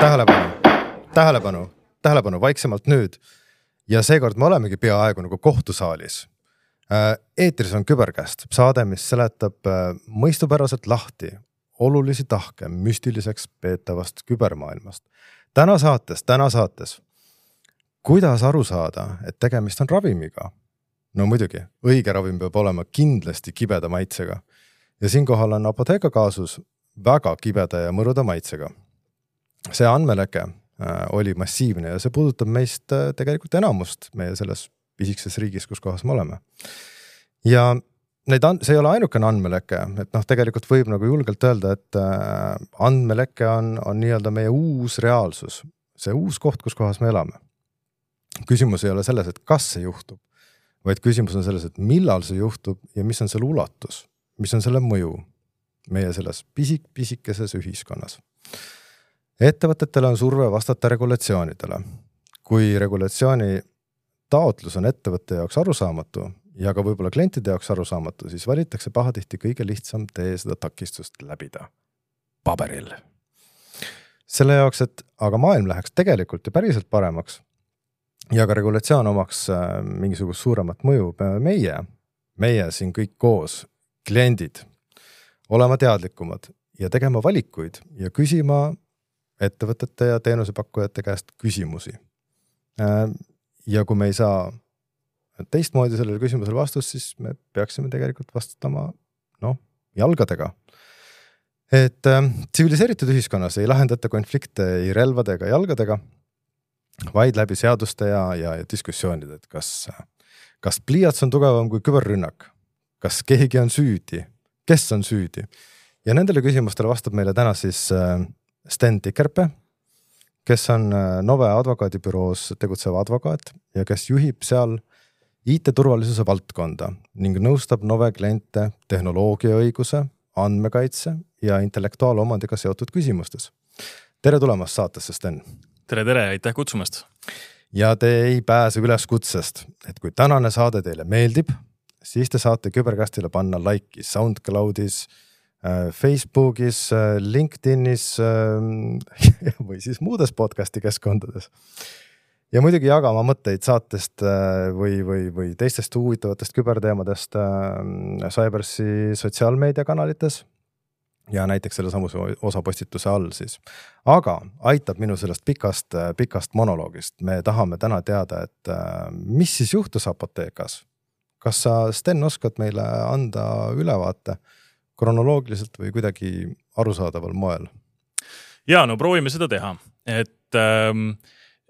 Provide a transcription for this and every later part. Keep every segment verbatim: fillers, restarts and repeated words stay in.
tähelepanu, tähelepanu, tähelepanu, vaiksemalt nüüd. Ja seekord me olemegi peaaegu nagu kohtusaalis. Eetris on Küberkäst, saade, mis seletab mõistupäraselt lahti olulisi tahke müstiliseks peetavast kübermaailmast. Täna saates, täna saates, kuidas aru saada, et tegemist on ravimiga? No muidugi, õige ravim peab olema kindlasti kibeda maitsega. Ja siinkohal on Apotheka kaasus väga kibeda ja mõruda maitsega. See andmeleke oli massiivne ja see puudutab meist tegelikult enamust meie selles pisikses riigis, kus kohas me oleme. Ja neid and- see ei ole ainukene andmeleke, et noh, tegelikult võib nagu julgelt öelda, et andmeleke on, on nii-öelda meie uus reaalsus, see uus koht, kus kohas me elame. Küsimus ei ole selles, et kas see juhtub, vaid küsimus on selles, et millal see juhtub ja mis on selle ulatus, mis on selle mõju meie selles pisik-pisikeses ühiskonnas. Ettevõtetele on surve vastata regulatsioonidele. Kui regulatsiooni taotlus on ettevõtte jaoks arusaamatu ja ka võib-olla klientide jaoks arusaamatu, siis valitakse pahatihti kõige lihtsam tee seda takistust läbida. Paberil. Selle jaoks, et aga maailm läheks tegelikult ja päriselt paremaks ja ka regulatsioon omaks mingisugust suuremat mõju, meie, meie siin kõik koos, kliendid, olema teadlikumad ja tegema valikuid ja küsima ettevõtete ja teenusepakkujate käest küsimusi. Ja kui me ei saa teistmoodi sellele küsimusele vastust, siis me peaksime tegelikult vastutama no, jalgadega. Et äh, tsiviliseeritud ühiskonnas ei lahendata konflikte ei relvade ega jalgadega, vaid läbi seaduste ja, ja, ja diskussioonid, et kas, kas pliiats on tugevam kui küberrünnak, kas keegi on süüdi, kes on süüdi. Ja nendele küsimustele vastab meile täna siis äh, Sten Tikerpe, kes on Nove advokaadibüroos tegutsev advokaat ja kes juhib seal I T-turvalisuse valdkonda ning nõustab Nove kliente tehnoloogiaõiguse, andmekaitse ja intellektuaalomandiga seotud küsimustes. Tere tulemast saatesse, Sten. Tere, tere, aitäh kutsumast. Ja te ei pääse üles kutsest, et kui tänane saade teile meeldib, siis te saate Küberkästile panna like'i SoundCloudis, Facebookis, LinkedInis või siis muudes podcasti keskkondades. Ja muidugi jagama mõtteid saatest või, või, või teistest huvitavatest küberteemadest Cybersi sotsiaalmeediakanalites ja näiteks selle samuse osapostituse all siis. Aga aitab minu sellest pikast, pikast monoloogist. Me tahame täna teada, et mis siis juhtus Apothekas? Kas sa, Sten, oskad meile anda ülevaate kronoloogiliselt või kuidagi arusaadaval moel? Ja, no proovime seda teha. Et ähm,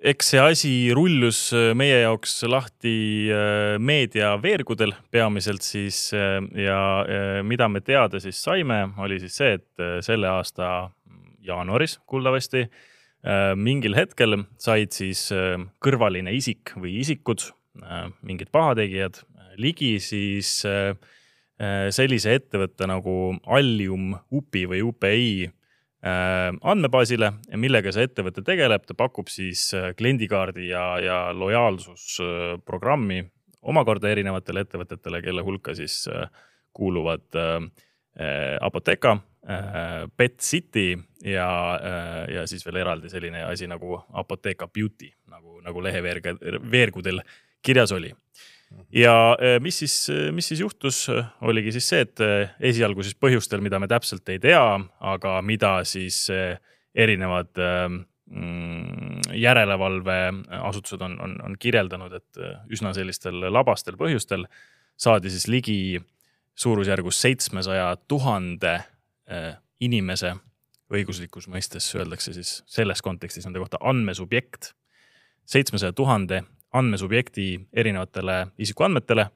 eks see asi rullus meie jaoks lahti äh, meedia veergudel peamiselt siis äh, ja äh, mida me teada siis saime, oli siis see, et äh, selle aasta jaanuaris kuuldavasti äh, mingil hetkel said siis äh, kõrvaline isik või isikud, äh, mingid pahategijad, ligi siis äh, sellise ettevõtte nagu Allium U P I või U P I andmebaasile, millega see ettevõte tegeleb, ta pakub siis kliendikaardi ja, ja lojaalsusprogrammi omakorda erinevatele ettevõtetele, kelle hulka siis kuuluvad Apotheka, Pet City ja, ja siis veel eraldi selline asi nagu Apotheka Beauty, nagu, nagu leheveergudel kirjas oli. Ja mis siis, mis siis juhtus, oligi siis see, et esialgu siis põhjustel, mida me täpselt ei tea, aga mida siis erinevad järelevalve asutused on, on, on kirjeldanud, et üsna sellistel labastel põhjustel saadi siis ligi suurusjärgus seitsmesaja tuhande inimese õiguslikus mõistes, öeldakse siis selles kontekstis nende kohta andmesubjekt, seitsmesaja tuhande andmesubjekti erinevatele isikuandmetele,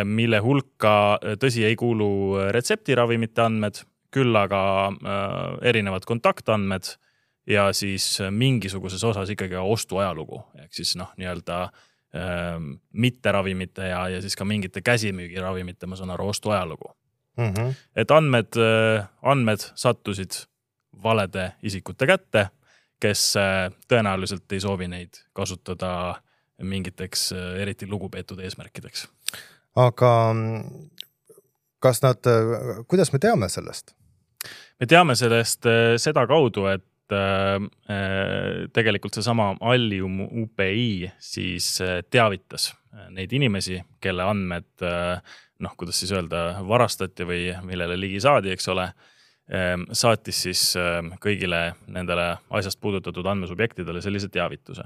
mille hulka tõsi ei kuulu retseptiravimite andmed, küll aga erinevad kontaktandmed ja siis mingisuguses osas ikkagi ostuajalugu. Ehk siis noh, nii-öelda mitte ravimite ja, ja siis ka mingite käsimüügiravimite, ma saan aru, ostuajalugu. Mm-hmm. Et andmed, andmed sattusid valede isikute kätte, kes tõenäoliselt ei soovi neid kasutada mingiteks eriti lugupeetud eesmärkideks. Aga kas nad, kuidas me teame sellest? Me teame sellest seda kaudu, et äh, tegelikult seesama Allium U P I siis teavitas neid inimesi, kelle andmed, noh, kuidas siis öelda, varastati või millele ligi saadi, eks ole, saatis siis kõigile nendele asjast puudutatud andmesubjektidele sellise teavituse.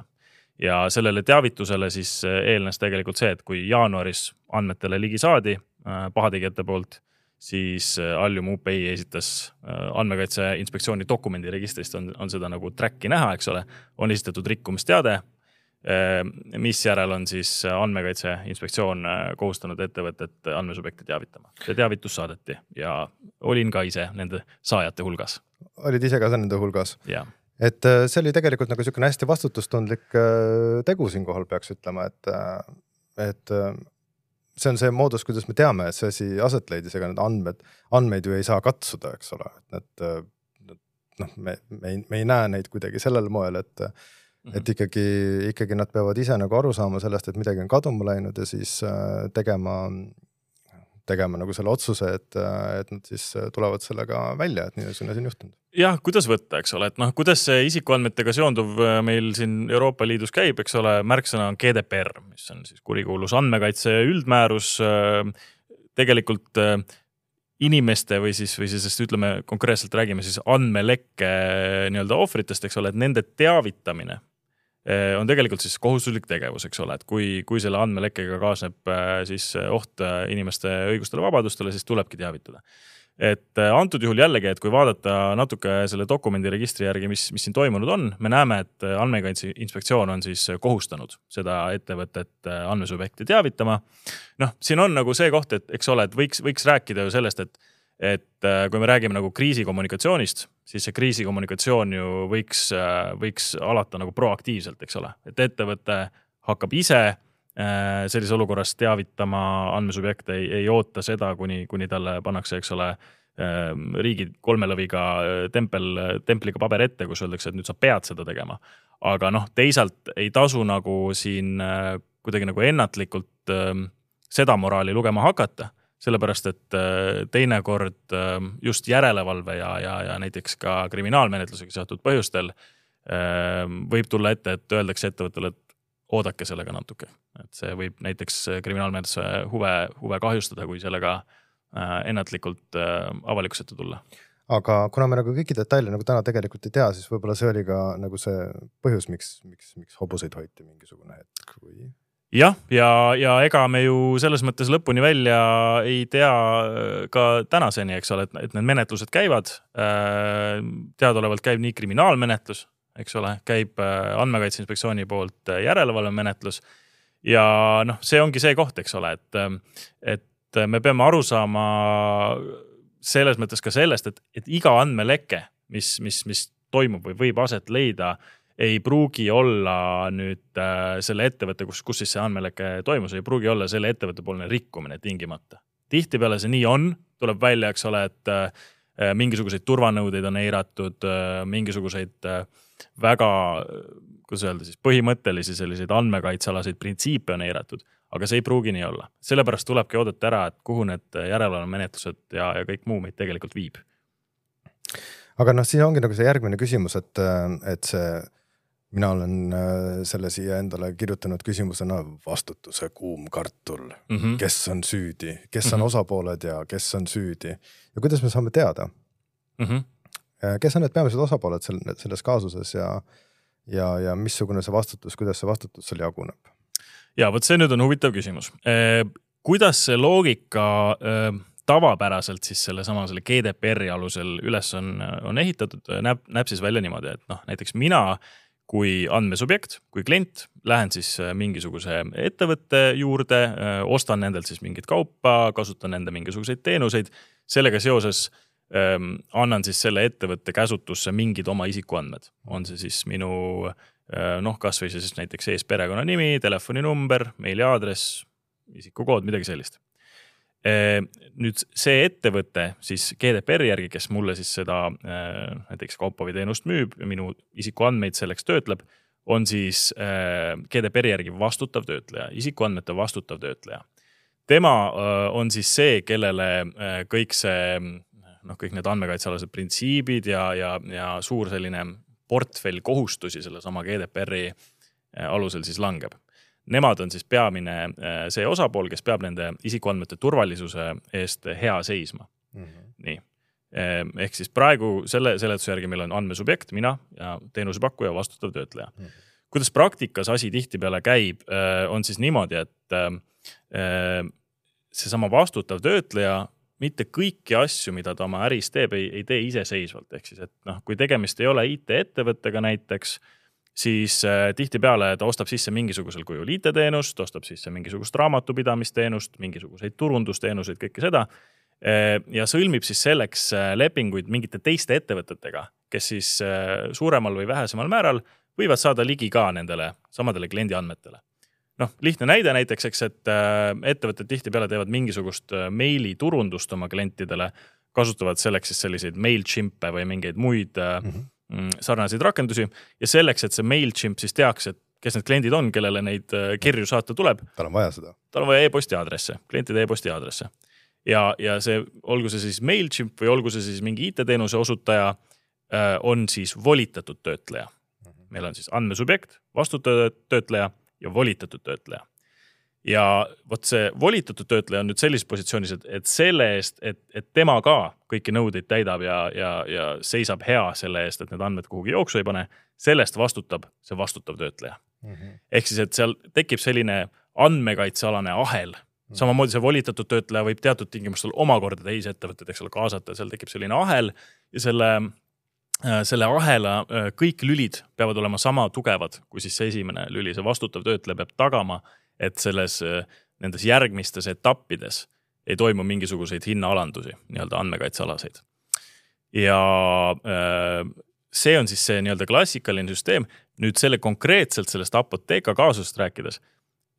Ja sellele teavitusele siis eelnes tegelikult see, et kui jaanuaris andmetele ligi saadi pahategijate poolt, siis Allium U P I esitas andmekaitse inspektsiooni dokumendi registrist, on, on seda nagu tracki näha, eks ole, on esitatud rikkumisteade, mis järel on siis andmekaitse inspektsioon kohustanud ettevõtet andmesubjekti teavitama. See teavitus saadeti ja olin ka ise nende saajate hulgas. Olid ise ka nende hulgas? Jah. Et see oli tegelikult nagu selline hästi vastutustundlik tegu siin kohal peaks ütlema, et, et see on see moodus, kuidas me teame, et see asi aset leidis, ega need andmed, andmeid ju ei saa katsuda, eks ole. Et noh, me, me, ei, me ei näe neid kuidagi sellel moel, et, mm-hmm. et ikkagi, ikkagi nad peavad ise nagu aru saama sellest, et midagi on kaduma läinud ja siis tegema, tegema nagu selle otsuse, et, et nad siis tulevad sellega välja, et nii on siin juhtunud. Jah, kuidas võtta, eks ole, et noh, kuidas see isikuandmetega seonduv meil siin Euroopa Liidus käib, eks ole, märksõna on G D P R, mis on siis kurikuulus andmekaitse üldmäärus, tegelikult inimeste või siis, või siis ütleme konkreetselt räägime siis andmelekke nii-öelda ohvritest, eks ole, et nende teavitamine on tegelikult siis kohustuslik tegevus, eks ole, et kui, kui selle andmelekkega kaasneb siis oht inimeste õigustele vabadustele, siis tulebki teavitada. Et antud juhul jällegi, et kui vaadata natuke selle dokumendi registri järgi, mis, mis siin toimunud on, me näeme, et andmekaitse inspektsioon on siis kohustanud seda ettevõtet andmesubjekti teavitama. Noh, siin on nagu see koht, et eks ole, et võiks, võiks rääkida ju sellest, et, et kui me räägime nagu kriisikommunikatsioonist, siis see kriisikommunikatsioon ju võiks, võiks alata nagu proaktiivselt, eks ole, et ettevõte hakkab ise sellise olukorras teavitama andmesubjekte, ei, ei oota seda, kuni, kuni talle pannakse, eks ole, riigi kolmelõviga tempel, templiga paber ette, kus öeldakse, et nüüd sa pead seda tegema. Aga noh, teisalt ei tasu nagu siin kuidagi nagu ennatlikult seda moraali lugema hakata, sellepärast, et teinekord just järelevalve ja, ja, ja näiteks ka kriminaalmenetlusega seotud põhjustel võib tulla ette, et öeldakse ettevõttele, et oodake sellega natuke. Et see võib näiteks kriminaalmenetluse huve, huve kahjustada, kui sellega ennatlikult avalikusette tulla. Aga kuna me nagu kõiki detaile nagu täna tegelikult ei tea, siis võib-olla see oli ka nagu see põhjus, miks, miks, miks hobuseid hoiti mingisugune hetk või... Jah, ja, ja ega me ju selles mõttes lõpuni välja ei tea ka tänaseni, eks ole, et, et need menetlused käivad. Teadaolevalt käib nii kriminaalmenetlus, eks ole, käib andmekaitse inspektsiooni poolt järelevalve menetlus ja noh, see ongi see koht, eks ole, et, et me peame aru saama selles mõttes ka sellest, et, et iga andmeleke, mis, mis, mis toimub või võib aset leida, ei pruugi olla nüüd selle ettevõtte, kus, kus siis see andmeleke toimus, ei pruugi olla selle ettevõtte poolne rikkumine tingimata. Tihtipeale see nii on, tuleb välja, eks ole, et mingisuguseid turvanõudeid on eiratud, mingisuguseid väga, kuidas öelda siis, põhimõttelisi selliseid andmekaitsalaseid printsiipe on eiratud, aga see ei pruugi nii olla. Sellepärast tulebki oodata ära, et kuhu need järelevalvemenetlused ja, ja kõik muu meid tegelikult viib. Aga noh, siin ongi nagu see järgmine küsimus, et, et see, mina olen selle siia endale kirjutanud küsimusena vastutuse kuum kartul, mm-hmm. kes on süüdi, kes on mm-hmm. osapooled ja kes on süüdi ja kuidas me saame teada? Mm-hmm. Kes on need peamised osapooled selles kaasuses ja, ja, ja missugune see vastutus, kuidas see vastutus seal jaguneb? Ja, võt see nüüd on huvitav küsimus. Kuidas see loogika tavapäraselt siis selle sama selle G D P R-i alusel üles on, on ehitatud, näeb, näeb siis välja niimoodi, et noh, näiteks mina kui andmesubjekt, kui klient, lähen siis mingisuguse ettevõtte juurde, ostan nendelt siis mingit kaupa, kasutan nende mingisuguseid teenuseid, sellega seoses annan siis selle ettevõtte käsutusse mingid oma isikuandmed. On see siis minu, noh, kas või siis näiteks ees perekonna nimi, telefoninumber, meiliaadress, isikukood, midagi sellist. Nüüd see ettevõte siis G D P R järgi, kes mulle siis seda näiteks kaupa või teenust müüb ja minu isikuandmeid selleks töötleb, on siis G D P R järgi vastutav töötleja, isikuandmete vastutav töötleja. Tema on siis see, kellele kõik see noh, kõik need andmekaitsealased printsiibid ja, ja, ja suur selline portfell kohustusi selle sama G D P R-i alusel siis langeb. Nemad on siis peamine see osapool, kes peab nende isikuandmete turvalisuse eest hea seisma. Mm-hmm. Nii. Ehk siis praegu selle seletuse järgi meil on andmesubjekt, mina ja teenusepakkuja vastutav töötleja. Mm-hmm. Kuidas praktikas asi tihtipeale käib, on siis niimoodi, et see sama vastutav töötleja mitte kõiki asju, mida ta oma äris teeb, ei, ei tee iseseisvalt. Ehk siis, et noh, kui tegemist ei ole I T-ettevõttega näiteks, siis äh, tihtipeale ta ostab sisse mingisugusel kujul I T-teenust, ostab sisse mingisugust raamatupidamisteenust, mingisuguseid turundusteenuseid, kõike seda äh, ja sõlmib siis selleks äh, lepinguid mingite teiste ettevõtetega, kes siis äh, suuremal või vähesemal määral võivad saada ligi ka nendele samadele kliendi andmetele. Noh, lihtne näide näiteks, eks, et äh, ettevõtted tihtipeale teevad mingisugust äh, meili turundust oma klientidele, kasutavad selleks siis selliseid MailChimpe või mingeid muid äh, mm-hmm. sarnaseid rakendusi ja selleks, et see MailChimp siis teaks, et kes need kliendid on, kellele neid äh, kirju saata tuleb. Tal on vaja seda. Tal on vaja e-posti aadresse, klientide e-posti aadresse. Ja, ja see, olgu see siis MailChimp või olgu see siis mingi I T-teenuse osutaja, äh, on siis volitatud töötleja. Mm-hmm. Meil on siis andmesubjekt, vastutav töötleja ja volitatud töötleja. Ja vot see volitatud töötleja on nüüd sellises positsioonis, et, et selle eest, et, et tema ka kõiki nõudeid täidab ja, ja, ja seisab hea selle eest, et need andmed kuhugi jooksu ei pane, sellest vastutab see vastutav töötleja. Mm-hmm. Ehk siis, et seal tekib selline andmekaitsealane ahel. Mm-hmm. Samamoodi see volitatud töötleja võib teatud tingimustel omakorda teisi ettevõtteid, eks ole, kaasata, seal tekib selline ahel ja selle selle ahela kõik lülid peavad olema sama tugevad, kui siis see esimene lüli, see vastutav töötleja peab tagama, et selles nendes järgmistes etappides ei toimu mingisuguseid hinnaalandusi, nii-öelda andmekaitsealaseid. Ja see on siis see nii-öelda klassikaline süsteem. Nüüd selle konkreetselt sellest apoteeka kaasusest rääkides,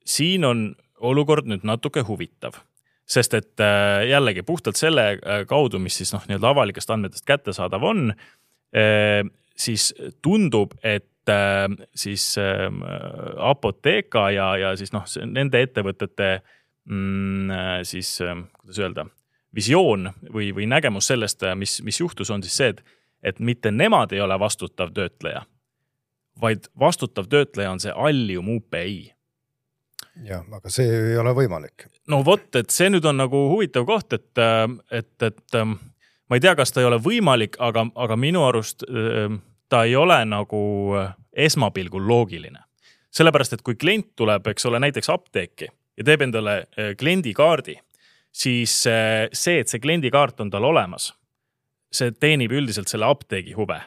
siin on olukord nüüd natuke huvitav. Sest et jällegi puhtalt selle kaudu, mis siis noh, nii-öelda avalikest andmetest kättesaadav on, siis tundub, et siis apoteeka ja, ja siis noh, nende ettevõtete siis, kuidas öelda, visioon või, või nägemus sellest, mis, mis juhtus, on siis see, et, et mitte nemad ei ole vastutav töötleja, vaid vastutav töötleja on see Allium U P I. Ja, aga see ei ole võimalik. No vot, et see nüüd on nagu huvitav koht, et, et, et ma ei tea, kas ta ei ole võimalik, aga, aga minu arust ta ei ole nagu esmapilgul loogiline. Sellepärast, et kui klient tuleb, eks ole, näiteks apteeki ja teeb endale kliendikaardi, siis see, et see kliendikaart on tal olemas, see teenib üldiselt selle apteegi huve.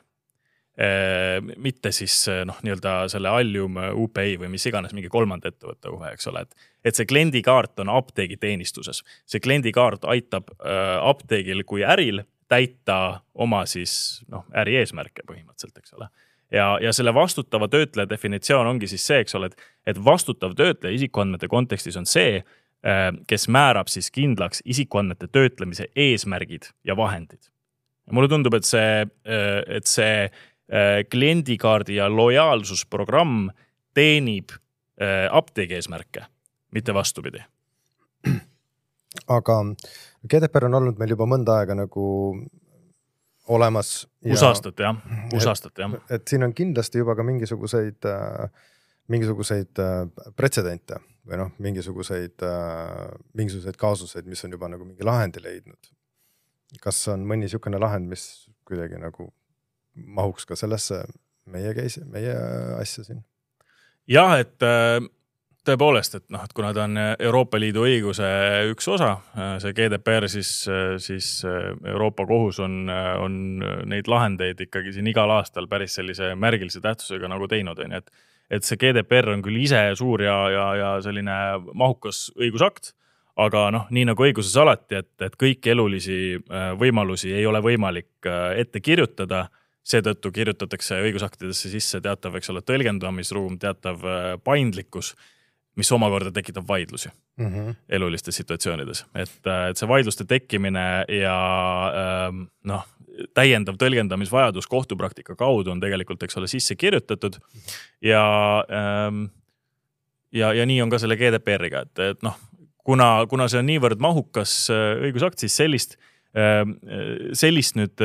Mitte siis noh, nii-öelda selle Allium U P I või mis iganes mingi kolmanda ettevõtte huve, eks ole, et, et see kliendikaart on apteegi teenistuses. See kliendikaart aitab äh, apteegil kui äril täita oma siis noh, äri eesmärke põhimõtteliselt, eks ole. Ja, ja selle vastutava töötleja definitsioon ongi siis see, eks ole, et, et vastutav töötleja isikuandmete kontekstis on see, äh, kes määrab siis kindlaks isikuandmete töötlemise eesmärgid ja vahendid. Ja mulle tundub, et see, äh, et see kliendikaardi ja lojaalsusprogramm teenib apteegi eesmärke, mitte vastupidi. Aga G D P R on olnud meil juba mõnda aega nagu olemas. Ja, Usastat, jah. Usastat, jah. Et, et siin on kindlasti juba ka mingisuguseid, mingisuguseid pretsedente või noh, mingisuguseid, mingisuguseid kaasuseid, mis on juba nagu mingi lahendi leidnud. Kas on mõni sihukene lahend, mis kuidagi nagu mahuks ka sellesse meie, käis, meie asja siin? Jah, et tõepoolest, et, noh, et kuna ta on Euroopa Liidu õiguse üks osa, see G D P R, siis, siis Euroopa kohus on, on neid lahendeid ikkagi siin igal aastal päris sellise märgilise tähtsusega nagu teinud. Et, et see G D P R on küll ise suur ja, ja, ja selline mahukas õigusakt, aga noh, nii nagu õiguses alati, et, et kõik elulisi võimalusi ei ole võimalik ette kirjutada. Seetõttu kirjutatakse õigusaktidesse sisse teatav, eks ole, tõlgendamisruum, teatav paindlikkus, mis omakorda tekitab vaidlusi mm-hmm. elulistes situatsioonides. Et, et see vaidluste tekkimine ja noh, täiendav tõlgendamisvajadus kohtupraktika kaudu on tegelikult, eks ole, sisse kirjutatud ja, ja, ja nii on ka selle G D P R-iga, et, et noh, kuna, kuna see on niivõrd mahukas õigusakt, siis sellist sellist nüüd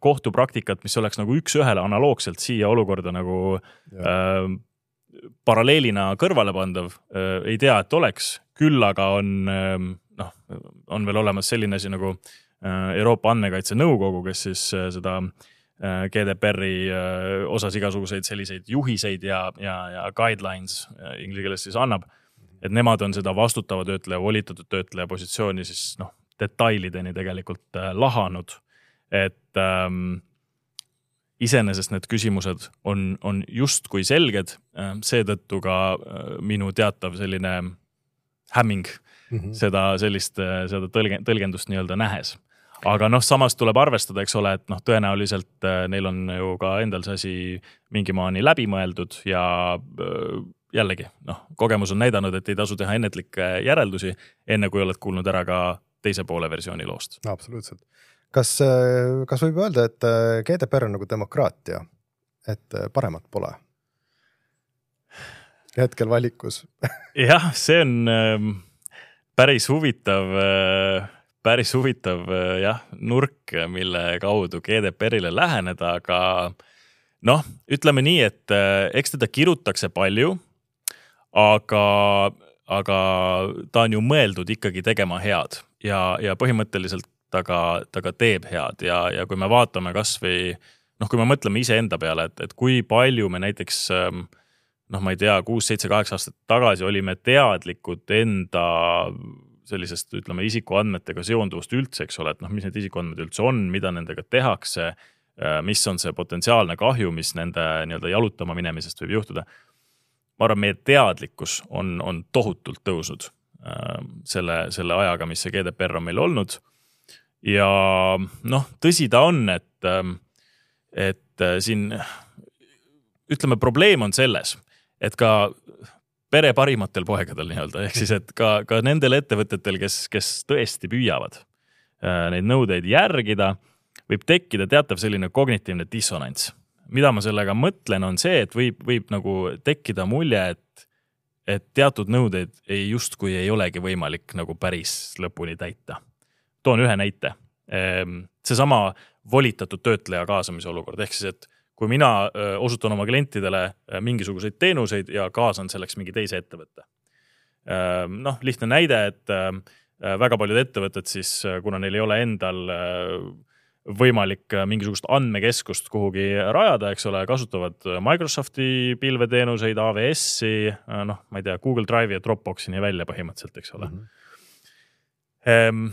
kohtupraktikat, mis oleks nagu üks ühele analoogselt siia olukorda nagu äh, paralleelina kõrvale pandav, ei tea, et oleks, küll aga on, noh, on veel olemas selline asi nagu Euroopa Andmekaitse Nõukogu, kes siis seda G D P R-i osas igasuguseid selliseid juhiseid ja, ja, ja guidelines inglise keeles siis annab, et nemad on seda vastutava töötleja, volitatud töötleja positsiooni siis noh, detailideni tegelikult lahanud, et ähm, iseenesest need küsimused on, on just kui selged, seetõttu ka minu teatav selline hämming mm-hmm. seda sellist, seda tõlge, tõlgendust nii-öelda nähes. Aga noh, samas tuleb arvestada, eks ole, et noh, tõenäoliselt neil on ju ka endal see asi mingi maani läbi mõeldud ja jällegi, noh, kogemus on näidanud, et ei tasu teha ennetlikke järeldusi, enne kui oled kuulnud ära ka teise poole versiooni loost. Absoluutselt. Kas, kas võib öelda, et G D P R on nagu demokraatia, et paremat pole? Hetkel valikus. Jah, see on päris huvitav, päris huvitav jah, nurk, mille kaudu G D P R-ile läheneda, aga noh, ütleme nii, et eks teda kirutakse palju, aga, aga ta on ju mõeldud ikkagi tegema head ja, ja põhimõtteliselt ta ka, ta ka teeb head ja, ja kui me vaatame kas või, noh, kui me mõtleme ise enda peale, et, et kui palju me näiteks, noh, ma ei tea, kuus, seitse, kaheksa aastat tagasi olime teadlikud enda sellisest, ütleme, isikuandmetega seonduvust üldse, eks ole, et noh, mis need isikuandmed üldse on, mida nendega tehakse, mis on see potentsiaalne kahju, mis nende nii-öelda jalutama minemisest võib juhtuda. Ma arvan, meie teadlikkus on, on tohutult tõusnud selle, selle ajaga, mis see G D P R on meil olnud. Ja noh, tõsi ta on, et, et siin, ütleme, probleem on selles, et ka pere parimatel poegadel nii-öelda, ehk siis, et ka, ka nendel ettevõtetel, kes, kes tõesti püüavad neid nõudeid järgida, võib tekkida teatav selline kognitiivne dissonants. Mida ma sellega mõtlen on see, et võib, võib nagu tekkida mulje, et, et teatud nõudeid ei justkui ei olegi võimalik nagu päris lõpuni täita. Toon ühe näite. See sama volitatud töötleja kaasamise olukord, ehk siis, et kui mina osutan oma klientidele mingisuguseid teenuseid ja kaasan selleks mingi teise ettevõtte. Noh, lihtne näide, et väga paljud ettevõtted siis, kuna neil ei ole endal võimalik mingisugust andmekeskust kuhugi rajada, eks ole, kasutavad Microsofti pilveteenuseid, A W S-i, noh, ma ei tea, Google Drive'i ja Dropboxini välja põhimõtteliselt, eks ole. Mm-hmm.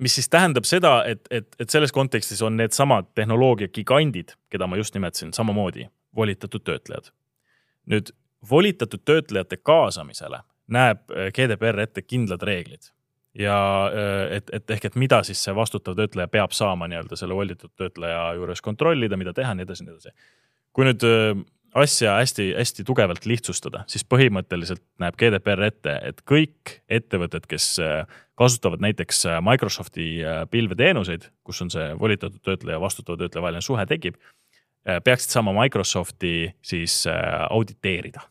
Mis siis tähendab seda, et, et, et selles kontekstis on need samad tehnoloogia gigandid, keda ma just nimetasin, samamoodi volitatud töötlejad. Nüüd, volitatud töötlejate kaasamisele näeb G D P R ette kindlad reeglid. Ja et, et ehk, et mida siis see vastutav töötleja peab saama nii-öelda selle volitatud töötleja juures kontrollida, mida teha, nii edasi, nii edasi. Kui nüüd asja hästi, hästi tugevalt lihtsustada, siis põhimõtteliselt näeb G D P R ette, et kõik ettevõtted, kes kasutavad näiteks Microsofti pilveteenuseid, kus on see volitatud töötleja ja vastutava töötleja vaheline suhe tekib, peaksid saama Microsofti siis auditeerida.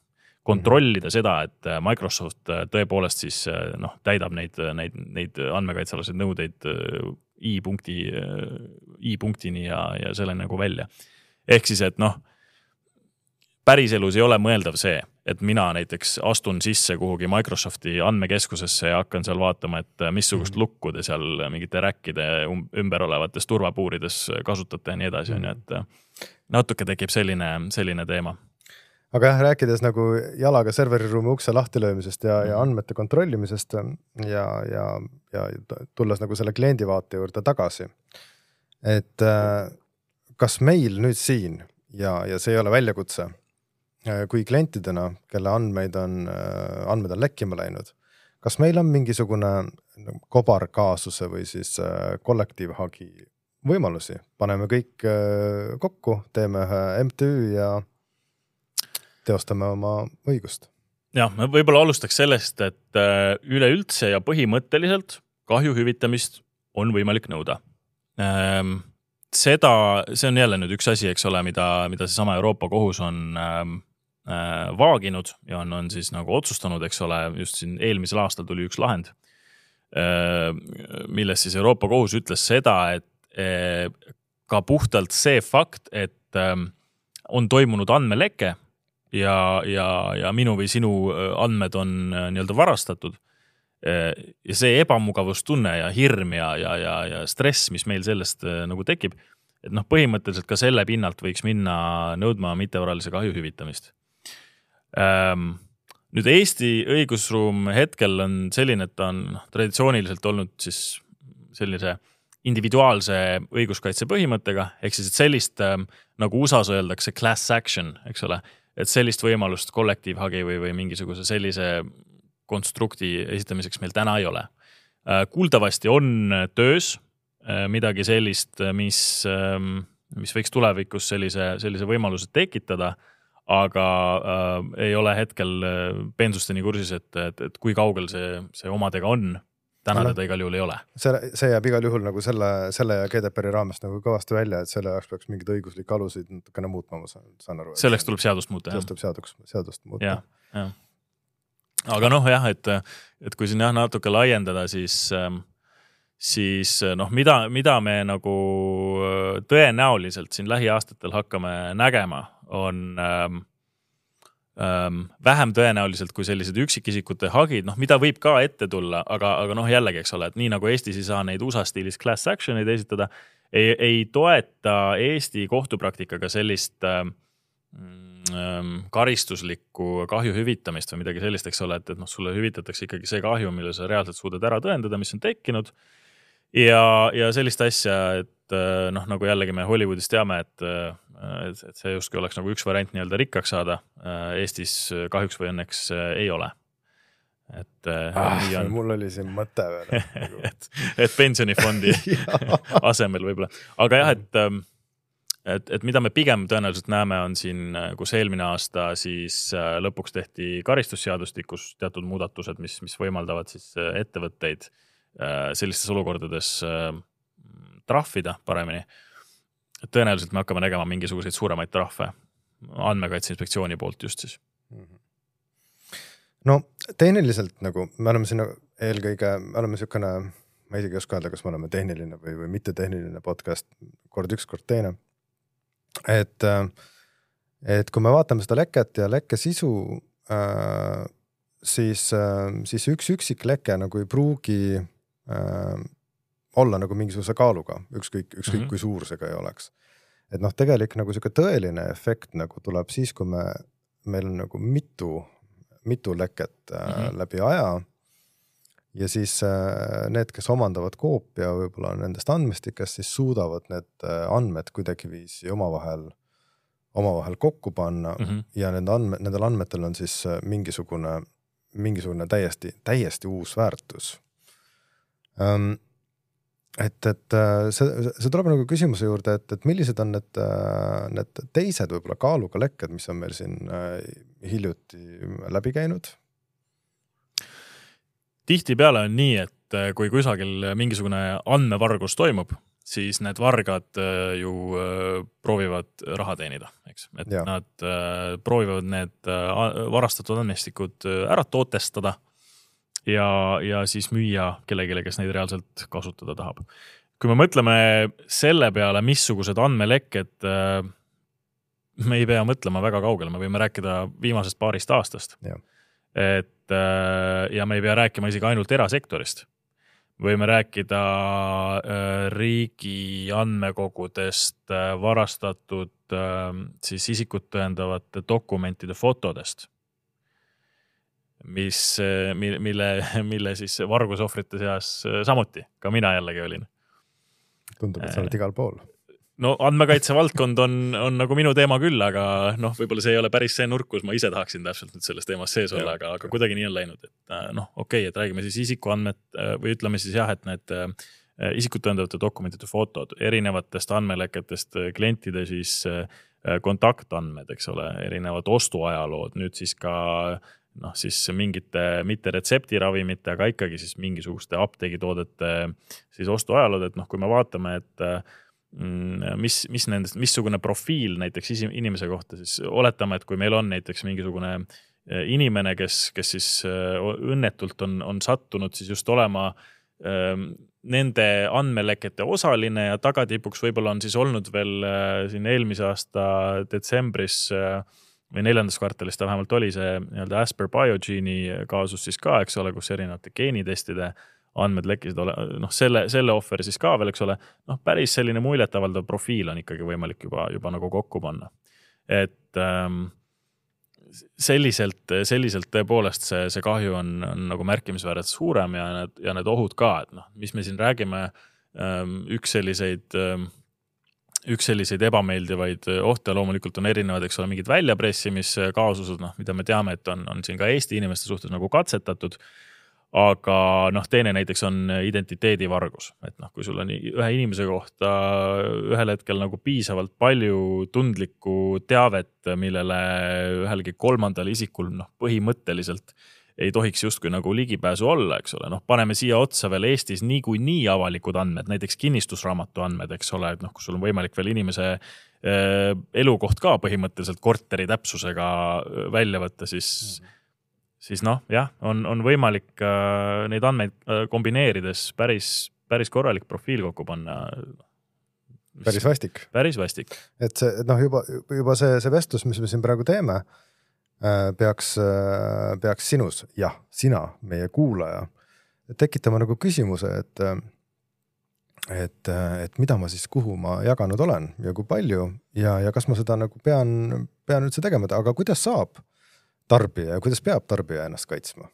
Kontrollida seda, et Microsoft tõepoolest siis noh, täidab neid, neid, neid andmekaitsealaseid nõudeid i-punkti, i-punktini ja, ja selle nagu välja. Ehk siis, et noh, päriselus ei ole mõeldav see, et mina näiteks astun sisse kuhugi Microsofti andmekeskusesse ja hakkan seal vaatama, et missugust lukku te seal mingite räkkide ümber olevates turvapuurides kasutate ja nii edasi. Mm. Et natuke tekib selline, selline teema. Aga jah, rääkides nagu jalaga serveriruumi ukse lahtilöömisest ja, ja andmete kontrollimisest ja, ja, ja tulles nagu selle kliendi vaate juurde tagasi. Et kas meil nüüd siin, ja, ja see ei ole väljakutse, kui klientidena, kelle andmeid on, andmed on lekkima läinud, kas meil on mingisugune kobarkaasuse või siis kollektiivhagi võimalusi? Paneme kõik kokku, teeme ühe M T Ü ja teostame oma õigust. Jah, me võib-olla alustaks sellest, et üleüldse ja põhimõtteliselt kahju hüvitamist on võimalik nõuda. Seda, see on jälle nüüd üks asi, eks ole, mida, mida see sama Euroopa kohus on vaaginud ja on, on siis nagu otsustanud, eks ole, just siin eelmisel aastal tuli üks lahend, milles siis Euroopa kohus ütles seda, et ka puhtalt see fakt, et on toimunud andmeleke ja, ja, ja minu või sinu andmed on nii-öelda varastatud ja see ebamugavustunne ja hirm ja, ja, ja, ja stress, mis meil sellest nagu tekib, et noh, põhimõtteliselt ka selle pinnalt võiks minna nõudma mittevaralise kahju hüvitamist. Nüüd Eesti õigusruum hetkel on selline, et ta on traditsiooniliselt olnud siis sellise individuaalse õiguskaitse põhimõttega, ehk siis et sellist, nagu U S A-s öeldakse class action, eks ole, et sellist võimalust kollektiivhagi või, või mingisuguse sellise konstrukti esitamiseks meil täna ei ole. Kuuldavasti on töös midagi sellist, mis, mis võiks tulevikus sellise, sellise võimaluse tekitada, aga äh, ei ole hetkel pensusteni kursis, et, et, et kui kaugel see, see omadega on. Täna teda igal juhul ei ole. See, see jääb igal juhul nagu selle, selle ja G D P R-i raamest nagu kõvasti välja, et selle jaoks peaks mingid õiguslik alusid natukene muutma, ma saan, saan aru. Selleks tuleb seadust muuta. Selleks tuleb seadust, seadust muuta. Ja, ja. Aga noh, jah, et, et kui siin jah, natuke laiendada, siis, siis noh, mida, mida me nagu tõenäoliselt siin lähiaastatel hakkame nägema, on ähm, ähm, vähem tõenäoliselt kui sellised üksikisikute hagid, noh, mida võib ka ette tulla, aga, aga noh, jällegi, eks ole, et nii nagu Eestis ei saa neid U S A stiilis class action'id esitada, ei, ei toeta Eesti kohtupraktikaga sellist ähm, karistuslikku kahju hüvitamist või midagi sellist, eks ole, et, et noh, sulle hüvitatakse ikkagi see kahju, mille sa reaalselt suudad ära tõendada, mis on tekkinud. Ja, ja sellist asja, et noh, nagu jällegi me Hollywoodis teame, et, et, et see justkui oleks nagu üks variant nii-öelda rikkaks saada. Eestis kahjuks või õnneks ei ole. Et, ah, on... Mul oli siin mõte veel. et, et pensionifondi asemel võib-olla. Aga jah, et Et, et mida me pigem tõenäoliselt näeme on siin, kus eelmine aasta siis lõpuks tehti karistusseadustikus teatud muudatused, mis, mis võimaldavad siis ettevõtteid sellistes olukordades trahvida paremini. Tõenäoliselt me hakkame nägema mingisuguseid suuremaid trahve andmekaitse inspektsiooni poolt just siis. No tehniliselt nagu me oleme siin eelkõige, me oleme niisugune, ma isegi ei oska öelda, kas me oleme tehniline või, või mitte tehniline podcast, kord üks, kord teine. Et, et kui me vaatame seda leket ja lekke sisu, siis, siis üks üksik leke nagu ei pruugi olla nagu mingisuguse kaaluga, ükskõik, ükskõik mm-hmm. kui suur see ka ei oleks. Et noh, tegelik nagu siuke tõeline efekt nagu tuleb siis, kui me, meil on nagu mitu, mitu leket mm-hmm. läbi aja ja siis need, kes omandavad koopia võib-olla nendest andmestikest, siis suudavad need andmed kuidagi viisi omavahel, omavahel kokku panna mm-hmm. ja nende andme, nendel andmetel on siis mingisugune, mingisugune täiesti, täiesti uus väärtus. Um, et, et see, see tuleb nagu küsimuse juurde, et, et millised on need, need teised võib-olla kaaluga lekked, mis on meil siin hiljuti läbi käinud? Tihtipeale on nii, et kui kusagil mingisugune andmevargus toimub, siis need vargad ju proovivad raha teenida, eks. Et ja. Nad proovivad need varastatud andmestikud ära tootestada ja, ja siis müüa kellegile, kes neid reaalselt kasutada tahab. Kui me mõtleme selle peale, missugused andmelekked, me ei pea mõtlema väga kaugele, me võime rääkida viimasest paarist aastast. Ja. Et ja me ei pea rääkima isegi ainult erasektorist. Võime rääkida riigi andmekogudest, varastatud siis isikut tõendavate dokumentide fotodest, mis, mille, mille siis vargusohvrite seas samuti, ka mina jällegi olin. Tundub, et sa oled igal pool. No andmekaitse valdkond on, on nagu minu teema küll, aga noh, võib-olla see ei ole päris see nurk, kus ma ise tahaksin täpselt nüüd selles teemas sees olla, aga, aga kuidagi nii on läinud, et noh, okei, et räägime siis isikuandmed või ütleme siis jah, et need isikut tõendavate dokumentide fotod, erinevatest andmeleketest klientide siis kontaktandmed, eks ole, erinevad ostuajalood, nüüd siis ka noh, siis mingite mitte retseptiravimite, aga ikkagi siis mingisuguste apteegitoodete siis ostuajalood, et noh, kui me vaatame, et mis, mis nendest, missugune profiil näiteks inimese kohta, siis oletame, et kui meil on näiteks mingisugune inimene, kes, kes siis õnnetult on, on sattunud siis just olema nende andmelekete osaline ja tagatipuks võib-olla on siis olnud veel siin eelmise aasta detsembris või neljandas kvartalis ta vähemalt oli see nii-öelda Asper Biogene'i kaasus siis ka, eks ole, kus erinevate geenitestide andmed lekkisid ole, noh selle, selle offer siis ka veel, eks ole, noh päris selline muljetavaldav profiil on ikkagi võimalik juba, juba nagu kokku panna. Et ähm, selliselt, selliselt tõepoolest see, see kahju on, on nagu märkimisväärselt suurem ja need, ja need ohud ka, et noh, mis me siin räägime, üks selliseid, üks selliseid ebameeldivaid ohte loomulikult on erinevad, eks ole, mingid väljapressimiskaasused, noh, mida me teame, et on, on siin ka Eesti inimeste suhtes nagu katsetatud, aga noh, teine näiteks on identiteedivargus, et noh, kui sul on ühe inimese kohta ühel hetkel nagu piisavalt palju tundlikku teavet, millele ühelgi kolmandal isikul noh, põhimõtteliselt ei tohiks justkui nagu ligipääsu olla, eks ole, noh, paneme siia otsa veel Eestis niiku nii avalikud andmed, näiteks kinnistusraamatu andmed, eks ole, et noh, kus sul on võimalik veel inimese äh, elukoht ka põhimõtteliselt korteri täpsusega välja võtta, siis mm-hmm. siis noh, jah, on, on võimalik äh, neid andmeid äh, kombineerides päris, päris korralik profiil kokku panna. Päris vastik. Päris vastik. Et see, noh, juba, juba see, see vestlus, mis me siin praegu teeme, äh, peaks, äh, peaks sinus, jah, sina, meie kuulaja, tekitama nagu küsimuse, et, et, et mida ma siis, kuhu ma jaganud olen ja kui palju ja, ja kas ma seda nagu pean, pean üldse tegema, aga kuidas saab tarbija ja kuidas peab tarbija ennast kaitsma?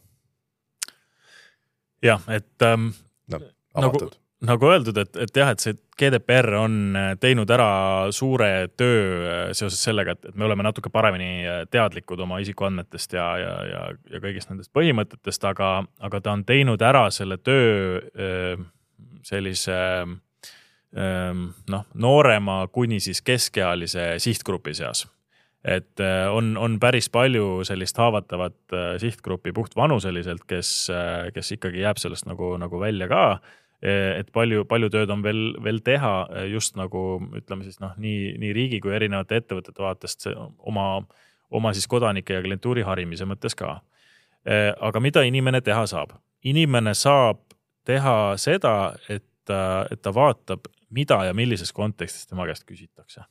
Jah, et ähm, no, nagu, nagu öeldud, et, et jah, et see G D P R on teinud ära suure töö seoses sellega, et, et me oleme natuke paremini teadlikud oma isikuandmetest ja, ja, ja, ja kõigist nendest põhimõtetest, aga, aga ta on teinud ära selle töö sellise noh, noorema kuni siis keskealise sihtgrupi seas. Et on, on päris palju sellist haavatavat sihtgruppi puht vanuseliselt, kes, kes ikkagi jääb sellest nagu, nagu välja ka, et palju, palju tööd on veel, veel teha just nagu, ütleme siis noh, nii, nii riigi kui erinevate ettevõtete vaatest oma, oma siis kodanike ja klientuuri harimise mõttes ka. Aga mida inimene teha saab? Inimene saab teha seda, et, et ta vaatab, mida ja millises kontekstis tema käest küsitakse.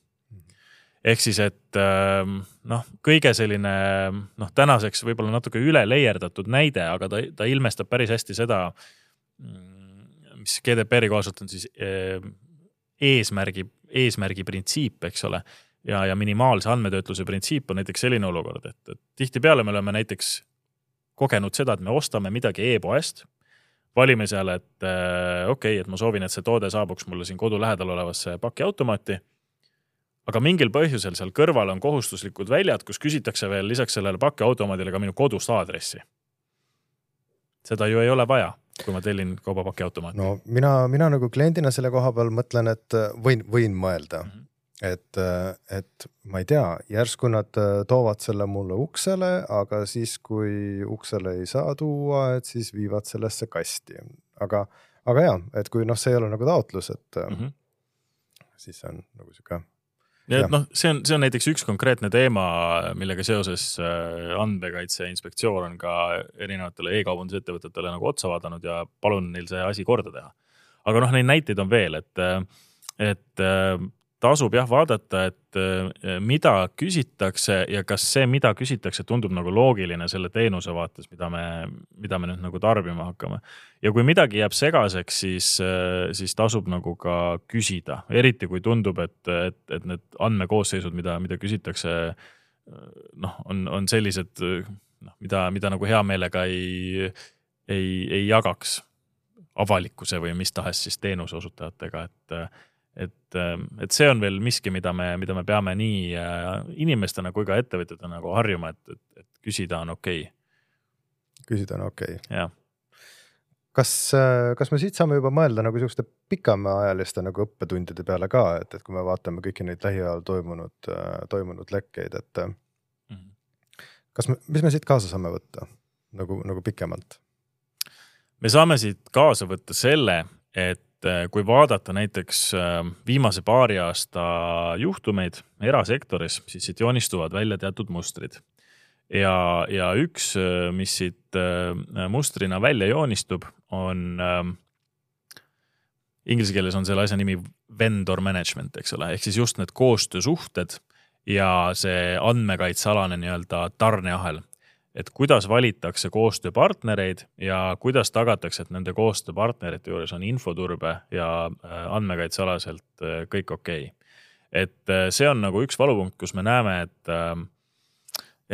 Ehk siis, et noh, kõige selline noh, tänaseks võib-olla natuke üle leierdatud näide, aga ta, ta ilmestab päris hästi seda, mis G D P R-i kohaselt on siis eesmärgi, eesmärgi printsiip, eks ole, ja, ja minimaalse andmetöötluse printsiip on näiteks selline olukord, et, et tihti peale me oleme näiteks kogenud seda, et me ostame midagi e-poest, valime seal, et okei, okay, et ma soovin, et see toode saabuks mulle siin kodu lähedal olevasse pakiautomaati, aga mingil põhjusel seal kõrval on kohustuslikud väljad, kus küsitakse veel lisaks sellele pakiautomaadile ka minu kodust aadressi. Seda ju ei ole vaja, kui ma tellin kauba pakiautomaati. No mina, mina nagu kliendina selle koha peal mõtlen, et võin, võin mõelda, mm-hmm. et, et ma ei tea, järsku nad toovad selle mulle uksele, aga siis kui uksele ei saa tuua, et siis viivad sellesse kasti. Aga, aga jah, et kui noh, see ei ole nagu taotlus, et mm-hmm. siis on nagu siuke Ja, et noh, see on, see on näiteks üks konkreetne teema, millega seoses andmekaitse inspektsioon on ka erinevatele e-kaubandusettevõtetele nagu otsa vaadanud ja palun neil see asi korda teha. Aga noh, neid näiteid on veel, et, et tasub jah vaadata, et mida küsitakse ja kas see, mida küsitakse, tundub nagu loogiline selle teenuse vaates, mida me, mida me nüüd nagu tarbima hakkame. Ja kui midagi jääb segaseks, siis, siis tasub nagu ka küsida. Eriti kui tundub, et, et, et need andmekoosseisud, mida, mida küsitakse, noh, on, on sellised, noh, mida, mida nagu hea meelega ei, ei, ei jagaks avalikkuse või mis tahes siis teenuse osutajatega, et Et, et see on veel miski, mida me, mida me peame nii inimestena kui ka ettevõtjatena nagu harjuma, et, et, et küsida on okei. Okay. Küsida on okei. Okay. Ja. Kas, kas me siit saame juba mõelda nagu selliseste pikemaajaliste nagu õppetundide peale ka, et, et kui me vaatame kõiki neid lähiajal toimunud, toimunud lekkeid, et mm-hmm. kas me, mis me siit kaasa saame võtta nagu, nagu pikemalt? Me saame siit kaasa võtta selle, et kui vaadata näiteks viimase paari aasta juhtumeid erasektoris, siis siit joonistuvad välja teatud mustrid. Ja, ja üks, mis siit mustrina välja joonistub, on inglise keeles on selle asja nimi vendor management, eks ole, ehk siis just need koostöösuhted ja see andmekaitsealane nii-öelda tarneahel, et kuidas valitakse koostööpartnereid ja kuidas tagatakse, et nende koostööpartnerite juures on infoturbe ja andmekaitsealaselt kõik okei. Et see on nagu üks valupunkt, kus me näeme, et,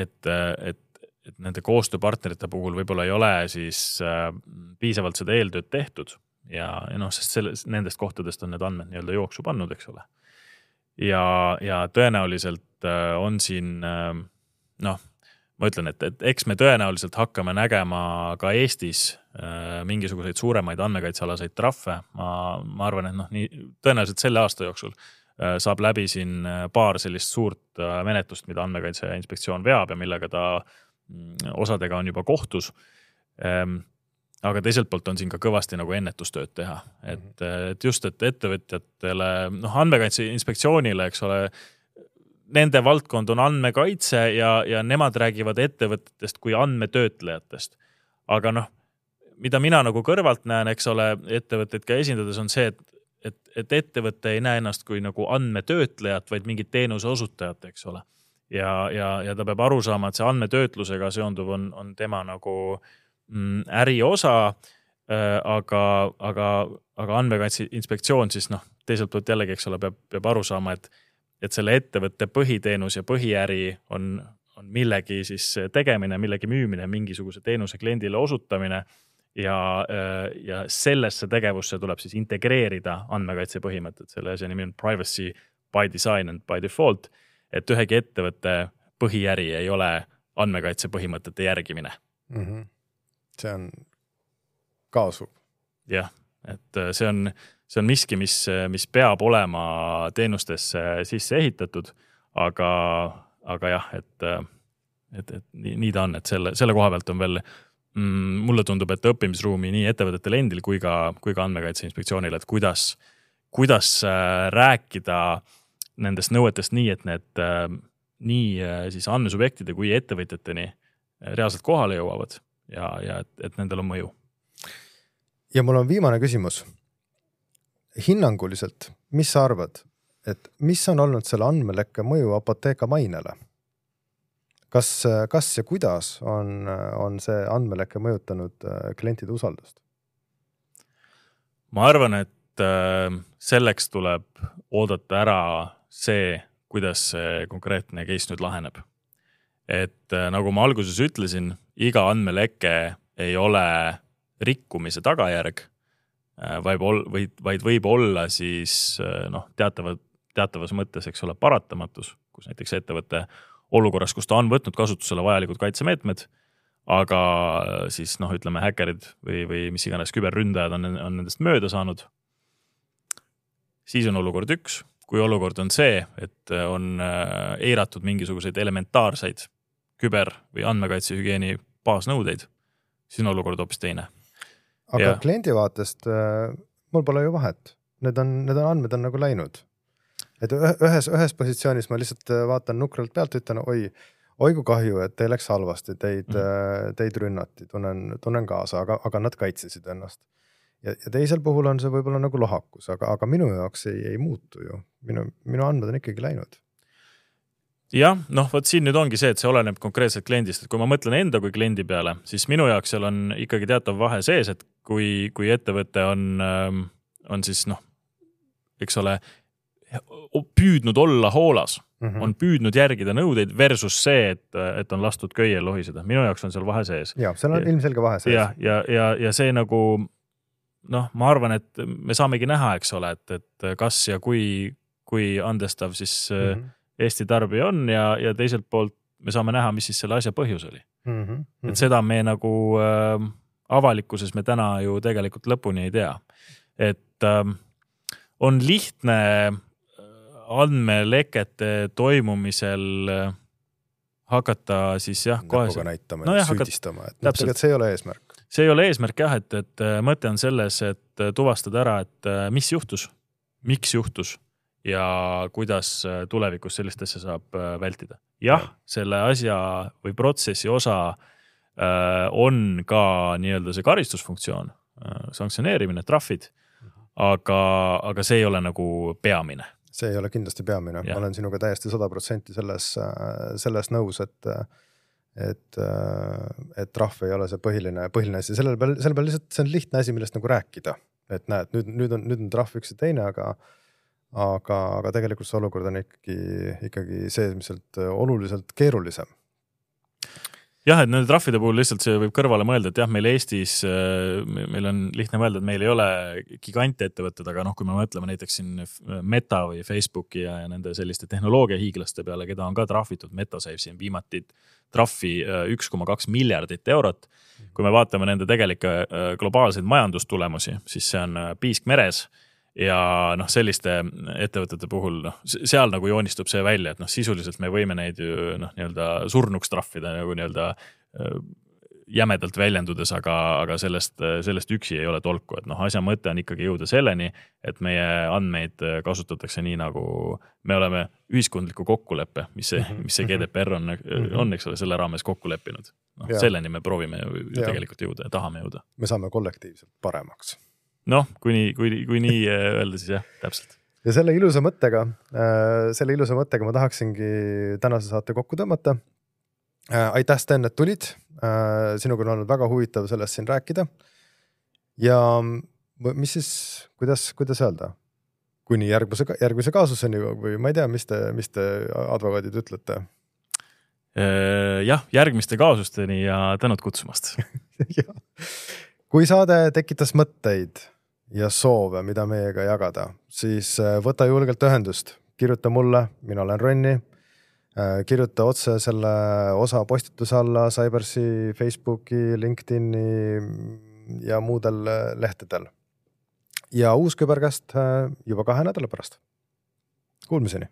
et, et et nende koostööpartnerite puhul võib-olla ei ole siis äh, piisavalt seda eeltööd tehtud ja, ja noh, sest selle, nendest kohtadest on need andmed nii-öelda jooksu pannud, eks ole. Ja, ja tõenäoliselt äh, on siin, äh, noh, ma ütlen, et, et eks me tõenäoliselt hakkame nägema ka Eestis äh, mingisuguseid suuremaid andmekaitsealaseid trahve. Ma, ma arvan, et noh, nii, tõenäoliselt selle aasta jooksul äh, saab läbi siin paar sellist suurt äh, menetlust, mida andmekaitse inspektsioon veab ja millega ta osadega on juba kohtus, aga teiselt poolt on siin ka kõvasti nagu ennetustööd teha. Et, et just, et ettevõtjatele, noh, andmekaitse inspektsioonile, eks ole, nende valdkond on andmekaitse ja, ja nemad räägivad ettevõtetest kui andmetöötlejatest. Aga noh, mida mina nagu kõrvalt näen, eks ole, ettevõtteid ka esindades on see, et, et, et ettevõte ei näe ennast kui nagu andmetöötlejat, vaid mingit teenuse osutajat, eks ole. Ja, ja, ja ta peab aru saama, et see andmetöötlusega seonduv on, on tema nagu mm, äri osa, äh, aga, aga, aga andmekaitse inspektsioon siis noh, teiselt poolt jällegi, eks ole, peab, peab aru saama, et, et selle ettevõtte põhiteenus ja põhiäri on, on millegi siis tegemine, millegi müümine, mingisuguse teenuse kliendile osutamine ja, äh, ja sellesse tegevusse tuleb siis integreerida andmekaitse põhimõtted. Selle asja nimi on privacy by design and by default. Et ühegi ettevõtte põhiäri ei ole andmekaitse põhimõtete järgimine. Mm-hmm. See on kaasub. Jah, et see on, see on miski, mis, mis peab olema teenustesse sisse ehitatud, aga, aga jah, et, et, et nii, nii ta on, et selle, selle koha pealt on veel, mm, mulle tundub, et õppimisruumi nii ettevõtetel endil kui ka, kui ka andmekaitse inspektsioonil, et kuidas, kuidas rääkida nendest nõuetest nii, et need äh, nii äh, siis andmesubjektide kui ettevõtjateni reaalselt kohale jõuavad ja, ja et, et nendel on mõju. Ja mul on viimane küsimus. Hinnanguliselt, mis sa arvad, et mis on olnud selle andmelekke mõju Apotheka mainele? Kas, kas ja kuidas on, on see andmelekke mõjutanud klientide usaldust? Ma arvan, et äh, selleks tuleb oodata ära see, kuidas see konkreetne case nüüd laheneb. Et nagu ma alguses ütlesin, iga andmeleke ei ole rikkumise tagajärg, vaid, vaid, vaid võib olla siis noh, teatava, teatavas mõttes, eks ole, paratamatus, kus näiteks ettevõtte olukorras, kus ta on võtnud kasutusele vajalikud kaitsemeetmed, aga siis noh, ütleme häkkerid või, või mis iganes küberründajad on, on nendest mööda saanud. Siis on olukord üks. Kui olukord on see, et on eiratud mingisuguseid elementaarseid küber- või andmekaitsehügieeni baasnõudeid, siis on olukord hoopis teine. Aga ja. Kliendi vaatest mul pole ju vahet. Need, on, need on andmed on nagu läinud. Et ühes, ühes positsioonis ma lihtsalt vaatan nukralt pealt, ütlen, oi, oi kui kahju, et teil läks halvasti, teid, mm. teid rünnati, tunnen, tunnen kaasa, aga, aga nad kaitsesid ennast. Ja, ja teisel puhul on see võib-olla nagu lohakus, aga, aga minu jaoks ei, ei muutu ju. Minu, minu andmed on ikkagi läinud. Jah, noh, võt siin nüüd ongi see, et see oleneb konkreetselt kliendist. Et kui ma mõtlen enda kui kliendi peale, siis minu jaoks seal on ikkagi teatav vahe sees, et kui, kui ettevõte on, on siis noh, eks ole, püüdnud olla hoolas, mm-hmm. on püüdnud järgida nõudeid versus see, et, et on lastud köiel lohiseda. Minu jaoks on seal vahe sees. Ja, seal on ja, ilmselge vahe sees. Ja, ja, ja, ja see nagu noh, ma arvan, et me saamegi näha, eks ole, et, et kas ja kui, kui andestav siis mm-hmm. Eesti tarbija on ja, ja teiselt poolt me saame näha, mis siis selle asja põhjus oli. Mm-hmm. Et seda me nagu äh, avalikkuses me täna ju tegelikult lõpuni ei tea. Et äh, on lihtne andmelekete toimumisel hakata siis jah, kohe näpuga näitama no, ja süüdistama, et tegelikult see ei ole eesmärk. See ei ole eesmärk jah, et, et mõte on selles, et tuvastada ära, et mis juhtus, miks juhtus ja kuidas tulevikus sellist asja saab vältida. Jah, selle asja või protsessi osa on ka nii-öelda see karistusfunktsioon, sanktsioneerimine, trahvid, aga, aga see ei ole nagu peamine. See ei ole kindlasti peamine. Ja. Ma olen sinuga täiesti sada protsenti selles, selles nõus, et et, et trahv ei ole see põhiline, põhiline asi. Selle peal, selle peal lihtsalt see on lihtne asi, millest nagu rääkida. Et näed, nüüd, nüüd on, nüüd on trahv üks ja teine, aga, aga, aga tegelikult see olukord on ikkagi, ikkagi see, mis sealt oluliselt keerulisem. Jah, et nende trahvide puhul lihtsalt see võib kõrvale mõelda, et jah, meil Eestis, meil on lihtne mõelda, et meil ei ole gigante ettevõtted, aga noh, kui me mõtleme näiteks siin Meta või Facebooki ja, ja nende selliste tehnoloogia hiiglaste peale, keda on ka trahvitud, Meta sai siin viimati trahvi üks koma kaks miljardit eurot. Kui me vaatame nende tegelikke globaalseid majandustulemusi, siis see on piisk meres. Ja noh, selliste ettevõtete puhul, noh, seal nagu joonistub see välja, et noh, sisuliselt me võime neid ju noh, nii-öelda surnuks trahvida nagu nii-öelda jämedalt väljendudes, aga, aga sellest, sellest üksi ei ole tolku, et noh, asja mõte on ikkagi jõuda selleni, et meie andmeid kasutatakse nii nagu me oleme ühiskondliku kokkuleppe, mis see, mis see G D P R on, on, eks ole, selle raames kokku leppinud. No, selleni me proovime ju ja. tegelikult jõuda ja tahame jõuda. Me saame kollektiivselt paremaks. Noh, kui nii, kui, kui nii öelda, siis jah, täpselt. Ja selle ilusa mõttega, selle ilusa mõttega ma tahaksingi tänase saate kokku tõmmata. Aitäh, Sten, et tulid. Sinuga on olnud väga huvitav sellest siin rääkida. Ja mis siis, kuidas, kuidas öelda? Kuni järgmise, järgmise kaasuseni või ma ei tea, mis te, mis te advokaadid ütlete? Jah, järgmiste kaasusteni ja tänud kutsumast. Kui saade tekitas mõtteid ja soove, mida meiega jagada, siis võta julgelt ühendust. Kirjuta mulle, mina olen Ronni. Kirjuta otse selle osa postituse alla Cybersi, Facebooki, LinkedIni ja muudel lehtedel. Ja uus Küberkäst juba kahe nädala pärast. Kuulmiseni!